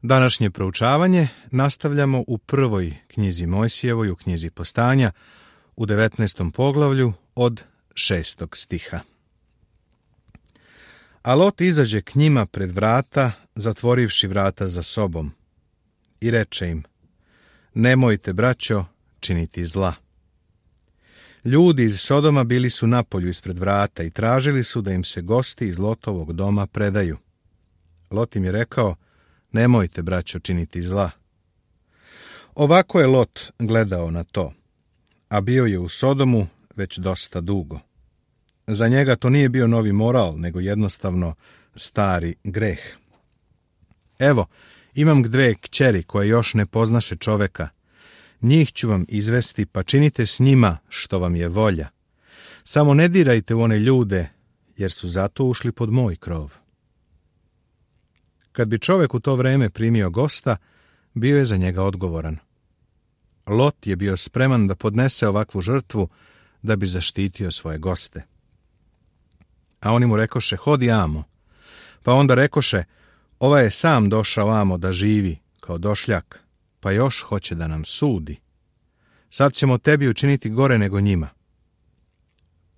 Današnje proučavanje nastavljamo u prvoj knjizi Mojsijevoj, u knjizi Postanja, u 19. poglavlju od 6. stiha. A Lot izađe k njima pred vrata, zatvorivši vrata za sobom, i reče im: nemojte, braćo, činiti zla. Ljudi iz Sodoma bili su napolju ispred vrata i tražili su da im se gosti iz Lotovog doma predaju. Lot im je rekao: nemojte, braćo, činiti zla. Ovako je Lot gledao na to, a bio je u Sodomu već dosta dugo. Za njega to nije bio novi moral, nego jednostavno stari greh. Evo, imam 2 kćeri koje još ne poznaše čoveka. Njih ću vam izvesti, pa činite s njima što vam je volja. Samo ne dirajte u one ljude, jer su zato ušli pod moj krov. Kad bi čovek u to vreme primio gosta, bio je za njega odgovoran. Lot je bio spreman da podnese ovakvu žrtvu da bi zaštitio svoje goste. A oni mu rekoše: hodi amo. Pa onda rekoše: ovaj je sam došao amo da živi kao došljak, pa još hoće da nam sudi. Sad ćemo tebi učiniti gore nego njima.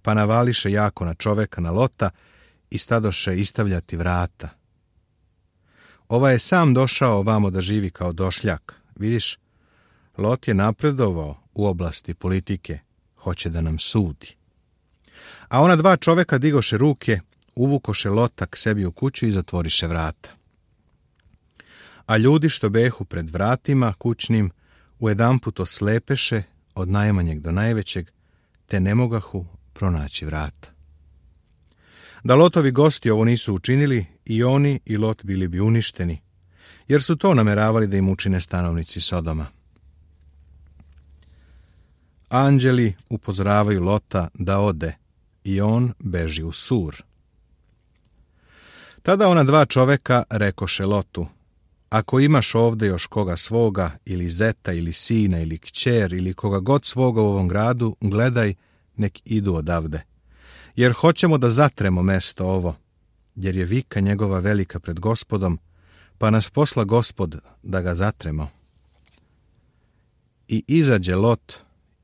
Pa navališe jako na čoveka, na Lota, i stadoše istavljati vrata. Ovaj je sam došao ovamo da živi kao došljak. Vidiš, Lot je napredovao u oblasti politike, hoće da nam sudi. A ona 2 čoveka digoše ruke, uvukoše Lota k sebi u kuću i zatvoriše vrata. A ljudi što behu pred vratima kućnim ujedanput oslepeše od najmanjeg do najvećeg, te ne mogahu pronaći vrata. Da Lotovi gosti ovo nisu učinili, i oni i Lot bili bi uništeni, jer su to nameravali da im učine stanovnici Sodoma. Anđeli upozoravaju Lota da ode, i on beži u Sur. Tada ona 2 čoveka rekoše Lotu: ako imaš ovde još koga svoga, ili zeta, ili sina, ili kćer, ili koga god svoga u ovom gradu, gledaj, nek idu odavde. Jer hoćemo da zatremo mesto ovo, jer je vika njegova velika pred Gospodom, pa nas posla Gospod da ga zatremo. I izađe Lot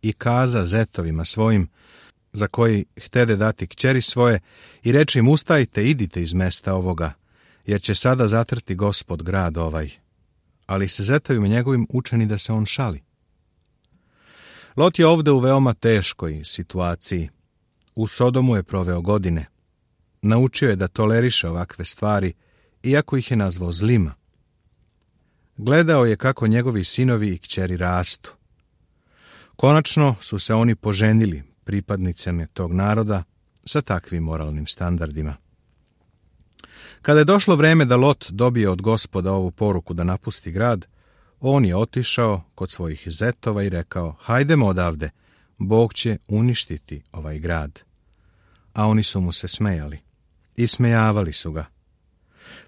i kaza zetovima svojim, za koji htede dati kćeri svoje, i reče im: ustajte, idite iz mesta ovoga, jer će sada zatrti Gospod grad ovaj. Ali se zetovima njegovim učini da se on šali. Lot je ovde u veoma teškoj situaciji. U Sodomu je proveo godine. Naučio je da toleriše ovakve stvari, iako ih je nazvao zlima. Gledao je kako njegovi sinovi i kćeri rastu. Konačno su se oni poženili pripadnicama tog naroda sa takvim moralnim standardima. Kada je došlo vreme da Lot dobije od Gospoda ovu poruku da napusti grad, on je otišao kod svojih zetova i rekao: hajdemo odavde, Bog će uništiti ovaj grad. A oni su mu se smejali. Ismejavali su ga.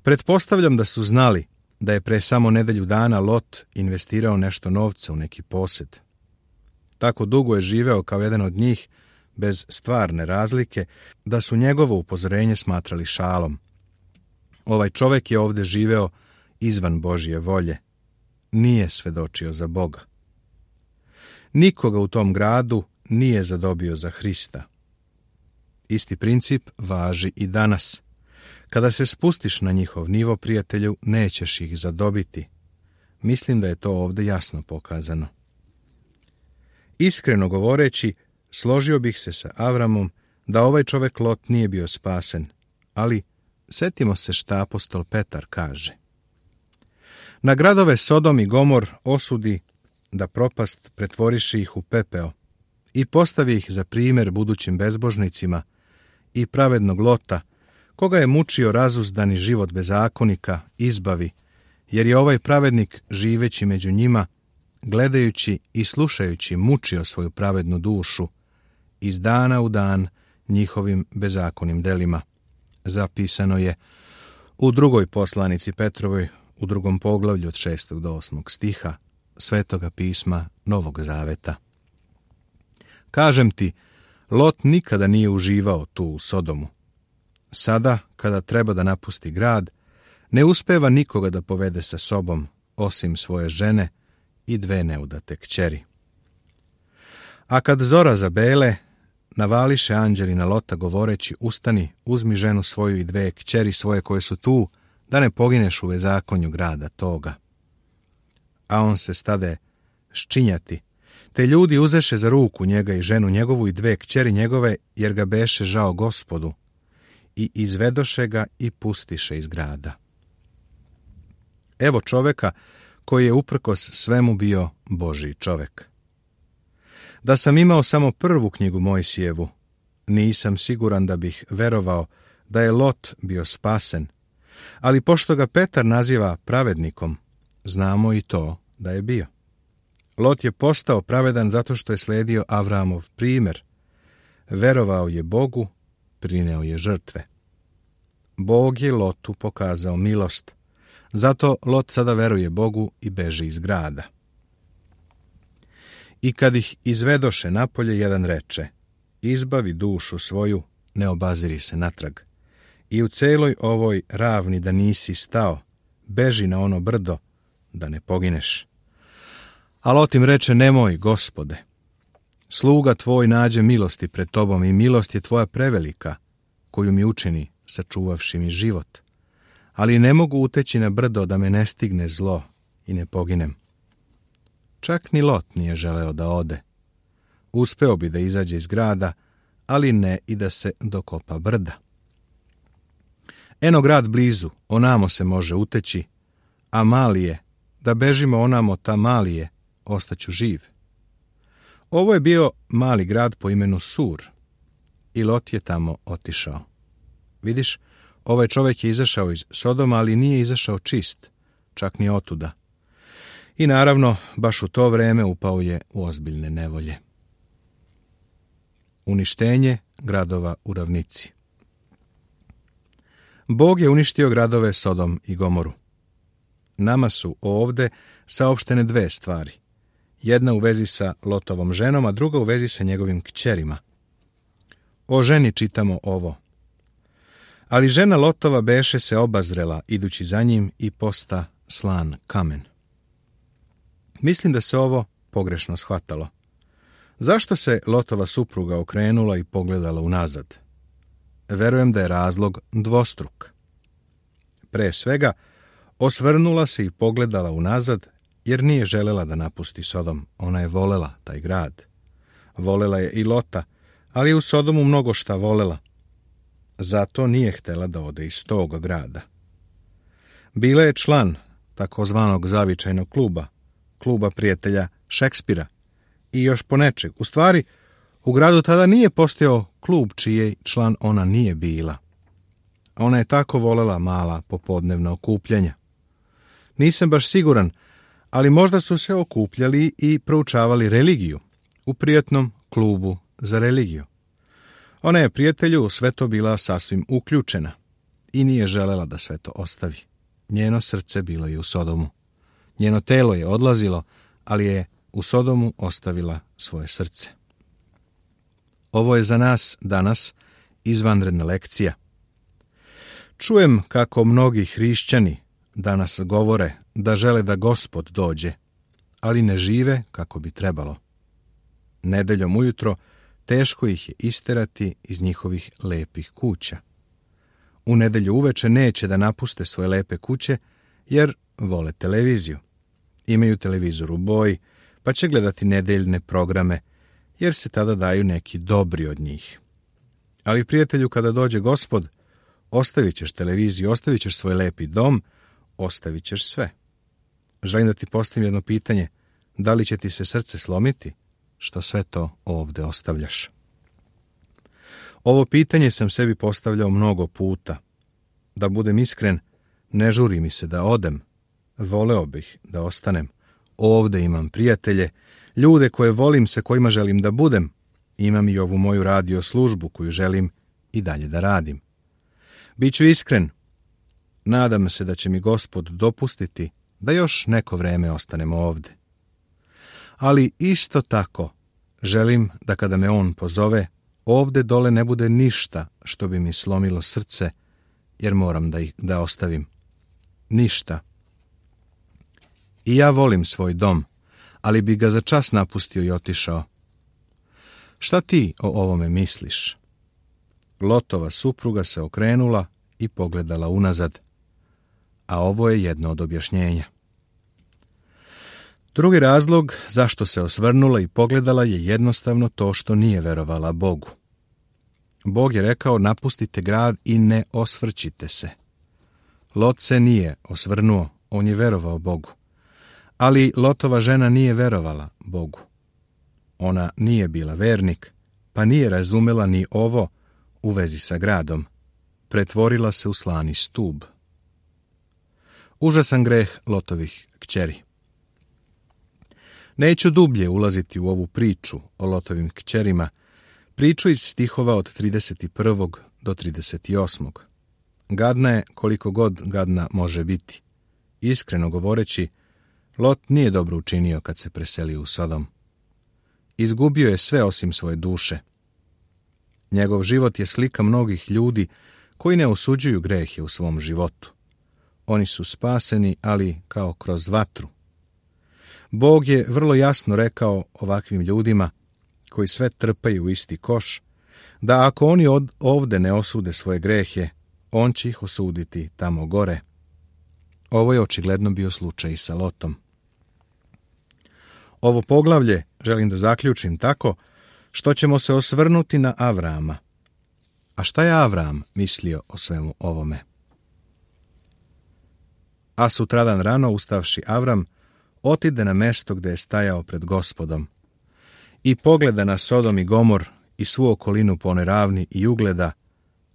Pretpostavljam da su znali da je pre samo nedelju dana Lot investirao nešto novca u neki posed. Tako dugo je živeo kao jedan od njih, bez stvarne razlike, da su njegovo upozorenje smatrali šalom. Ovaj čovek je ovde živeo izvan Božje volje. Nije svedočio za Boga. Nikoga u tom gradu nije zadobio za Hrista. Isti princip važi i danas. Kada se spustiš na njihov nivo, prijatelju, nećeš ih zadobiti. Mislim da je to ovde jasno pokazano. Iskreno govoreći, složio bih se sa Avramom da ovaj čovek Lot nije bio spasen, ali setimo se šta apostol Petar kaže. Na gradove Sodom i Gomor osudi da propast pretvoriše ih u pepeo i postavi ih za primjer budućim bezbožnicima, i pravednog Lota, koga je mučio razuzdani život bezakonika, izbavi, jer je ovaj pravednik, živeći među njima, gledajući i slušajući, mučio svoju pravednu dušu iz dana u dan njihovim bezakonim delima. Zapisano je u 2. poslanici Petrovoj, u 2. poglavlju od 6. do 8. stiha Svetoga pisma Novog Zaveta. Kažem ti, Lot nikada nije uživao tu u Sodomu. Sada, kada treba da napusti grad, ne uspeva nikoga da povede sa sobom, osim svoje žene i 2 neudate kćeri. A kad zora zabele, navališe anđeli na Lota govoreći, ustani, uzmi ženu svoju i 2 kćeri svoje koje su tu, da ne pogineš u bezakonju grada toga. A on se stade ščinjati, te ljudi uzeše za ruku njega i ženu njegovu i 2 kćeri njegove, jer ga beše žao Gospodu, i izvedoše ga i pustiše iz grada. Evo čoveka koji je uprkos svemu bio Božji čovek. Da sam imao samo prvu knjigu Mojsijevu, nisam siguran da bih verovao da je Lot bio spasen, ali pošto ga Petar naziva pravednikom, znamo i to da je bio. Lot je postao pravedan zato što je sledio Avramov primjer. Verovao je Bogu, prineo je žrtve. Bog je Lotu pokazao milost, zato Lot sada veruje Bogu i beži iz grada. I kad ih izvedoše napolje, jedan reče, izbavi dušu svoju, ne obaziri se natrag. I u celoj ovoj ravni da nisi stao, beži na ono brdo, da ne pogineš. A Lot im reče, nemoj, Gospode, sluga tvoj nađe milosti pred tobom i milost je tvoja prevelika, koju mi učini, sačuvavši mi život. Ali ne mogu uteći na brdo da me ne stigne zlo i ne poginem. Čak ni Lot nije želeo da ode. Uspeo bi da izađe iz grada, ali ne i da se dokopa brda. Eno grad blizu, onamo se može uteći, a mali je, da bežimo onamo ta mali je, ostaću živ. Ovo je bio mali grad po imenu Sur, i Lot je tamo otišao. Vidiš, ovaj čovjek je izašao iz Sodoma, ali nije izašao čist, čak ni otuda. I naravno, baš u to vreme upao je u ozbiljne nevolje. Uništenje gradova u ravnici. Bog je uništio gradove Sodom i Gomoru. Nama su ovde saopštene 2 stvari. Jedna u vezi sa Lotovom ženom, a druga u vezi sa njegovim kćerima. O ženi čitamo ovo. Ali žena Lotova beše se obazrela, idući za njim, i posta slan kamen. Mislim da se ovo pogrešno shvatalo. Zašto se Lotova supruga okrenula i pogledala unazad? Verujem da je razlog dvostruk. Pre svega, osvrnula se i pogledala unazad, jer nije želela da napusti Sodom. Ona je volela taj grad. Volela je i Lota, ali je u Sodomu mnogo šta volela. Zato nije htela da ode iz tog grada. Bila je član takozvanog zavičajnog kluba prijatelja Šekspira i još ponečeg. U stvari, u gradu tada nije postojao klub čiji član ona nije bila. Ona je tako volela mala popodnevna okupljanja. Nisam baš siguran, ali možda su se okupljali i proučavali religiju u prijatnom klubu za religiju. Ona je prijatelju u sve to bila sasvim uključena i nije želela da sve to ostavi. Njeno srce bilo je u Sodomu. Njeno telo je odlazilo, ali je u Sodomu ostavila svoje srce. Ovo je za nas danas izvanredna lekcija. Čujem kako mnogi hrišćani danas govore da žele da Gospod dođe, ali ne žive kako bi trebalo. Nedeljom ujutro teško ih je isterati iz njihovih lepih kuća. U nedelju uveče neće da napuste svoje lepe kuće, jer vole televiziju. Imaju televizor u boji, pa će gledati nedeljne programe, jer se tada daju neki dobri od njih. Ali, prijatelju, kada dođe Gospod, ostavit ćeš televiziju, ostavit ćeš svoj lepi dom, ostavit ćeš sve. Želim da ti postavim jedno pitanje, da li će ti se srce slomiti, što sve to ovde ostavljaš? Ovo pitanje sam sebi postavljao mnogo puta. Da budem iskren, ne žuri mi se da odem. Voleo bih da ostanem. Ovde imam prijatelje, ljude koje volim, sa kojima želim da budem. Imam i ovu moju radio službu koju želim i dalje da radim. Biću iskren. Nadam se da će mi Gospod dopustiti da još neko vreme ostanem ovde. Ali isto tako želim da kada me on pozove, ovde dole ne bude ništa što bi mi slomilo srce, jer moram da ostavim. ništa. I ja volim svoj dom, ali bi ga za čas napustio i otišao. Šta ti o ovome misliš? Lotova supruga se okrenula i pogledala unazad, a ovo je jedno od objašnjenja. Drugi razlog zašto se osvrnula i pogledala je jednostavno to što nije verovala Bogu. Bog je rekao: napustite grad i ne osvrćite se. Lot se nije osvrnuo, on je verovao Bogu. Ali Lotova žena nije verovala Bogu. Ona nije bila vernik, pa nije razumela ni ovo u vezi sa gradom. Pretvorila se u slani stub. Užasan greh Lotovih kćeri. Neću dublje ulaziti u ovu priču o Lotovim kćerima, priču iz stihova od 31. do 38. Gadna je koliko god gadna može biti. Iskreno govoreći, Lot nije dobro učinio kad se preselio u Sodom. Izgubio je sve osim svoje duše. Njegov život je slika mnogih ljudi koji ne osuđuju grehe u svom životu. Oni su spaseni, ali kao kroz vatru. Bog je vrlo jasno rekao ovakvim ljudima, koji sve trpaju u isti koš, da ako oni ovde ne osude svoje grehe, on će ih osuditi tamo gore. Ovo je očigledno bio slučaj i sa Lotom. Ovo poglavlje želim da zaključim tako što ćemo se osvrnuti na Avrama. A šta je Avram mislio o svemu ovome? A sutradan rano ustavši Avram, otide na mesto gde je stajao pred Gospodom i pogleda na Sodom i Gomor i svu okolinu po onoj ravni i ugleda,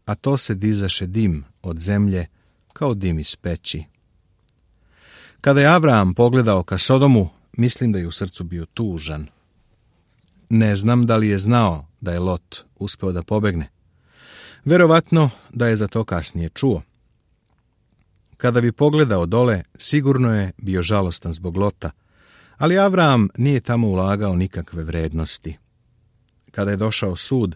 a to se dizaše dim od zemlje kao dim iz peći. Kada je Avram pogledao ka Sodomu, mislim da je u srcu bio tužan. Ne znam da li je znao da je Lot uspeo da pobegne. Verovatno da je za to kasnije čuo. Kada bi pogledao dole, sigurno je bio žalostan zbog Lota, ali Avram nije tamo ulagao nikakve vrednosti. Kada je došao sud,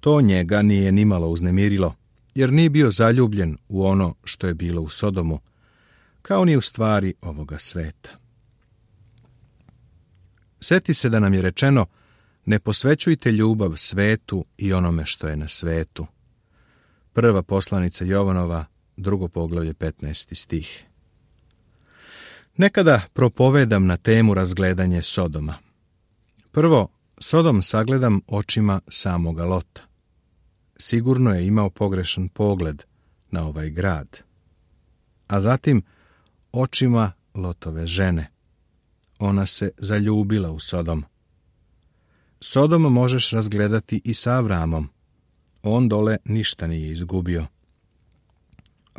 to njega nije nimalo uznemirilo, jer nije bio zaljubljen u ono što je bilo u Sodomu, kao ni u stvari ovoga sveta. Seti se da nam je rečeno: ne posvećujte ljubav svetu i onome što je na svetu. Prva poslanica Jovanova, 2. poglavlje, 15. stih. Nekada propovedam na temu razgledanje Sodoma. Prvo, Sodom sagledam očima samoga Lota. Sigurno je imao pogrešan pogled na ovaj grad. A zatim, očima Lotove žene. Ona se zaljubila u Sodom. Sodom možeš razgledati i sa Avramom. On dole ništa nije izgubio.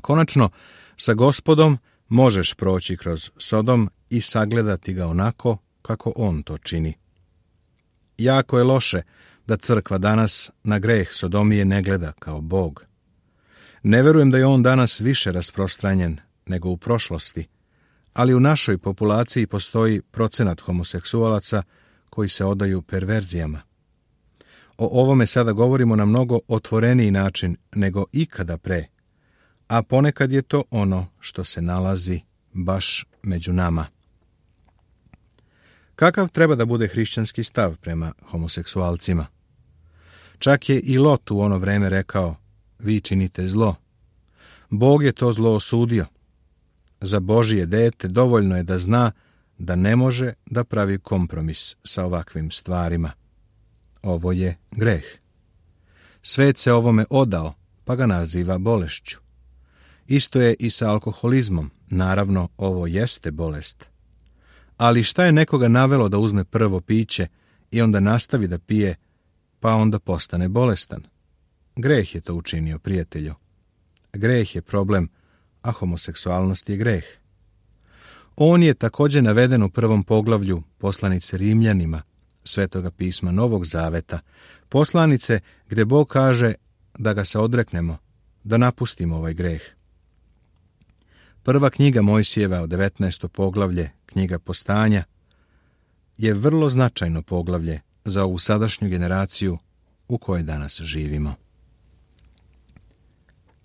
Konačno, sa Gospodom možeš proći kroz Sodom i sagledati ga onako kako on to čini. Jako je loše da crkva danas na greh Sodomije ne gleda kao Bog. Ne verujem da je on danas više rasprostranjen nego u prošlosti, ali u našoj populaciji postoji procenat homoseksualaca koji se odaju perverzijama. O ovome sada govorimo na mnogo otvoreniji način nego ikada pre, a ponekad je to ono što se nalazi baš među nama. Kakav treba da bude hrišćanski stav prema homoseksualcima? Čak je i Lot u ono vreme rekao: vi činite zlo. Bog je to zlo osudio. Za Božije dete dovoljno je da zna da ne može da pravi kompromis sa ovakvim stvarima. Ovo je greh. Svet se ovome odao, pa ga naziva bolešću. Isto je i sa alkoholizmom. Naravno, ovo jeste bolest. Ali šta je nekoga navelo da uzme prvo piće i onda nastavi da pije, pa onda postane bolestan? Greh je to učinio, prijatelju. Greh je problem, a homoseksualnost je greh. On je također naveden u 1. poglavlju poslanice Rimljanima, Svetoga pisma Novog Zaveta, poslanice gde Bog kaže da ga se odreknemo, da napustimo ovaj greh. Prva knjiga Mojsijeva, 19. poglavlje, knjiga Postanja, je vrlo značajno poglavlje za ovu sadašnju generaciju u kojoj danas živimo.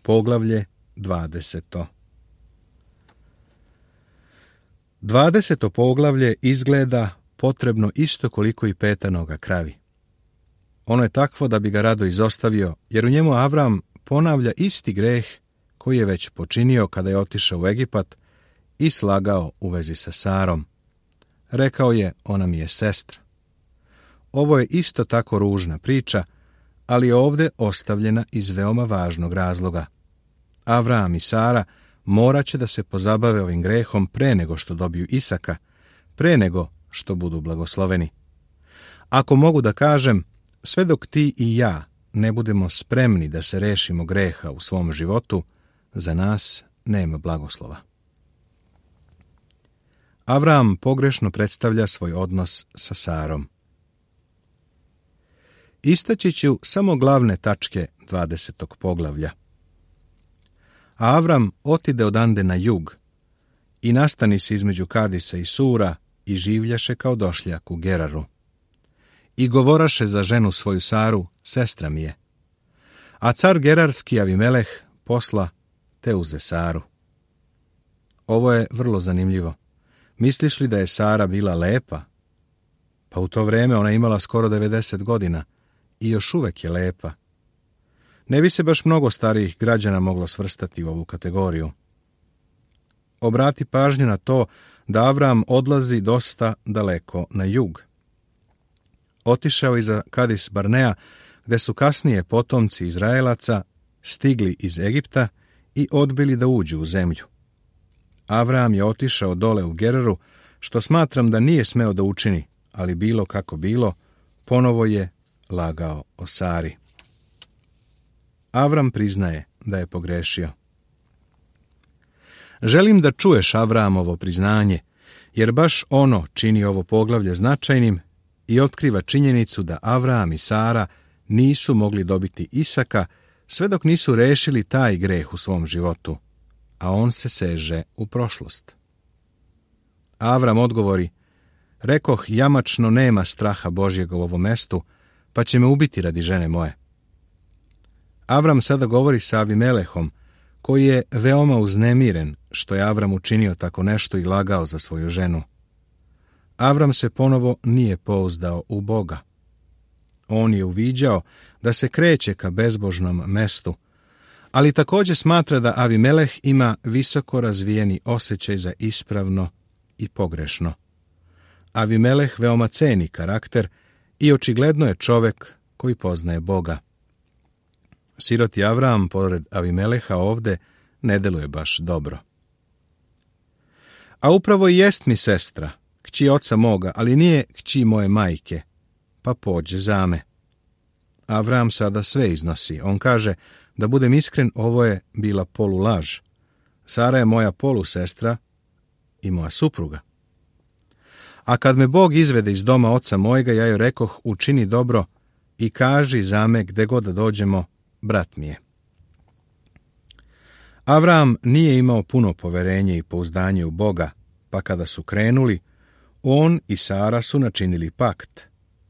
Poglavlje 20. 20. poglavlje izgleda potrebno isto koliko i 5. noga kravi. Ono je takvo da bi ga rado izostavio, jer u njemu Avram ponavlja isti greh koji je već počinio kada je otišao u Egipat i slagao u vezi sa Sarom. Rekao je, ona mi je sestra. Ovo je isto tako ružna priča, ali je ovdje ostavljena iz veoma važnog razloga. Avram i Sara morat će da se pozabave ovim grehom pre nego što dobiju Isaka, pre nego što budu blagosloveni. Ako mogu da kažem, sve dok ti i ja ne budemo spremni da se rešimo greha u svom životu, za nas nema blagoslova. Avram pogrešno predstavlja svoj odnos sa Sarom. Istaći ću samo glavne tačke 20. poglavlja. A Avram otide odande na jug i nastani se između Kadisa i Sura i življaše kao došljak u Geraru. I govoraše za ženu svoju Saru, sestra mi je. A car Gerarski Avimeleh posla te uze Saru. Ovo je vrlo zanimljivo. Misliš li da je Sara bila lepa? Pa u to vrijeme ona imala skoro 90 godina i još uvek je lepa. Ne bi se baš mnogo starijih građana moglo svrstati u ovu kategoriju. Obrati pažnju na to da Avram odlazi dosta daleko na jug. Otišao iza Kadis Barnea, gde su kasnije potomci Izraelaca stigli iz Egipta i odbili da uđu u zemlju. Avram je otišao dole u Geraru, što smatram da nije smeo da učini, ali bilo kako bilo, ponovo je lagao o Sari. Avram priznaje da je pogrešio. Želim da čuješ Avramovo priznanje, jer baš ono čini ovo poglavlje značajnim i otkriva činjenicu da Avram i Sara nisu mogli dobiti Isaka sve dok nisu rešili taj greh u svom životu, a on se seže u prošlost. Avram odgovori, rekoh, jamačno nema straha Božjega u ovom mestu, pa će me ubiti radi žene moje. Avram sada govori sa Avimelehom, koji je veoma uznemiren što je Avram učinio tako nešto i lagao za svoju ženu. Avram se ponovo nije pouzdao u Boga. On je uviđao da se kreće ka bezbožnom mestu, ali također smatra da Avimeleh ima visoko razvijeni osjećaj za ispravno i pogrešno. Avimeleh veoma ceni karakter i očigledno je čovek koji poznaje Boga. Siroti Avram, pored Avimeleha, ovde ne deluje baš dobro. A upravo i jest mi sestra, kći oca moga, ali nije kći moje majke, pa pođe za me. Avram sada sve iznosi. On kaže, da budem iskren, ovo je bila polulaž. Sara je moja polusestra i moja supruga. A kad me Bog izvede iz doma oca mojega, ja joj rekoh, učini dobro i kaži za me gde god da dođemo, brat mi je. Avram nije imao puno poverenje i pouzdanje u Boga, pa kada su krenuli, on i Sara su načinili pakt,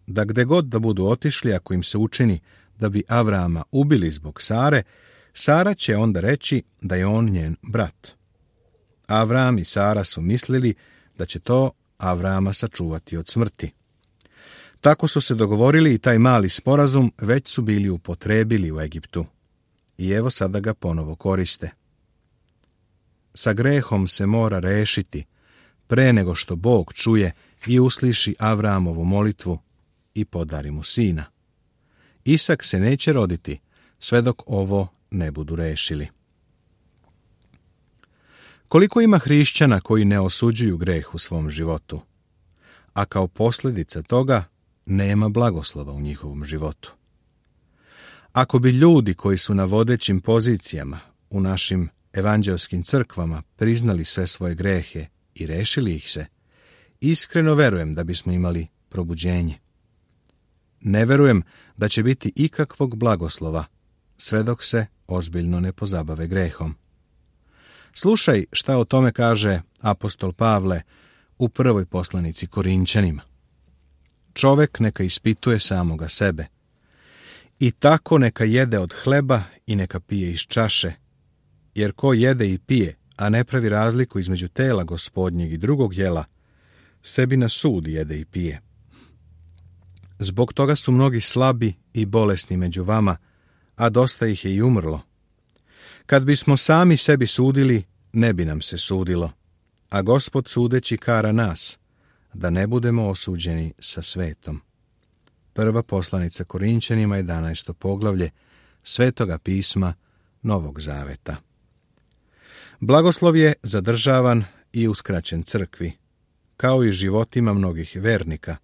da gde god da budu otišli, ako im se učini da bi Avrama ubili zbog Sare, Sara će onda reći da je on njen brat. Avram i Sara su mislili da će to Avrama sačuvati od smrti. Tako su se dogovorili i taj mali sporazum već su bili upotrebili u Egiptu. I evo sada ga ponovo koriste. Sa grehom se mora rešiti pre nego što Bog čuje i usliši Avramovu molitvu i podari mu sina. Isak se neće roditi sve dok ovo ne budu rešili. Koliko ima hrišćana koji ne osuđuju greh u svom životu, a kao posljedica toga nema blagoslova u njihovom životu. Ako bi ljudi koji su na vodećim pozicijama u našim evanđelskim crkvama priznali sve svoje grehe i rešili ih se, iskreno verujem da bismo imali probuđenje. Ne verujem da će biti ikakvog blagoslova sve dok se ozbiljno ne pozabave grehom. Slušaj šta o tome kaže apostol Pavle u prvoj poslanici Korinćanima. Čovek neka ispituje samoga sebe. I tako neka jede od hleba i neka pije iz čaše, jer ko jede i pije, a ne pravi razliku između tela Gospodnjeg i drugog jela, sebi na sud jede i pije. Zbog toga su mnogi slabi i bolesni među vama, a dosta ih je i umrlo. Kad bismo sami sebi sudili, ne bi nam se sudilo, a Gospod sudeći kara nas, da ne budemo osuđeni sa svetom. Prva poslanica Korinćanima, 11. poglavlje Svetoga pisma Novog Zaveta. Blagoslov je zadržavan i uskraćen crkvi, kao i životima mnogih vernika,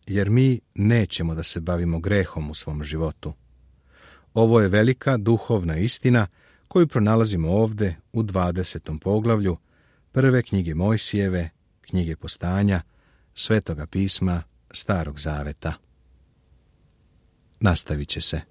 jer mi nećemo da se bavimo grehom u svom životu. Ovo je velika duhovna istina koju pronalazimo ovde u 20. poglavlju prve knjige Mojsijeve, knjige Postanja, Svetoga pisma Starog Zaveta. Nastavit će se.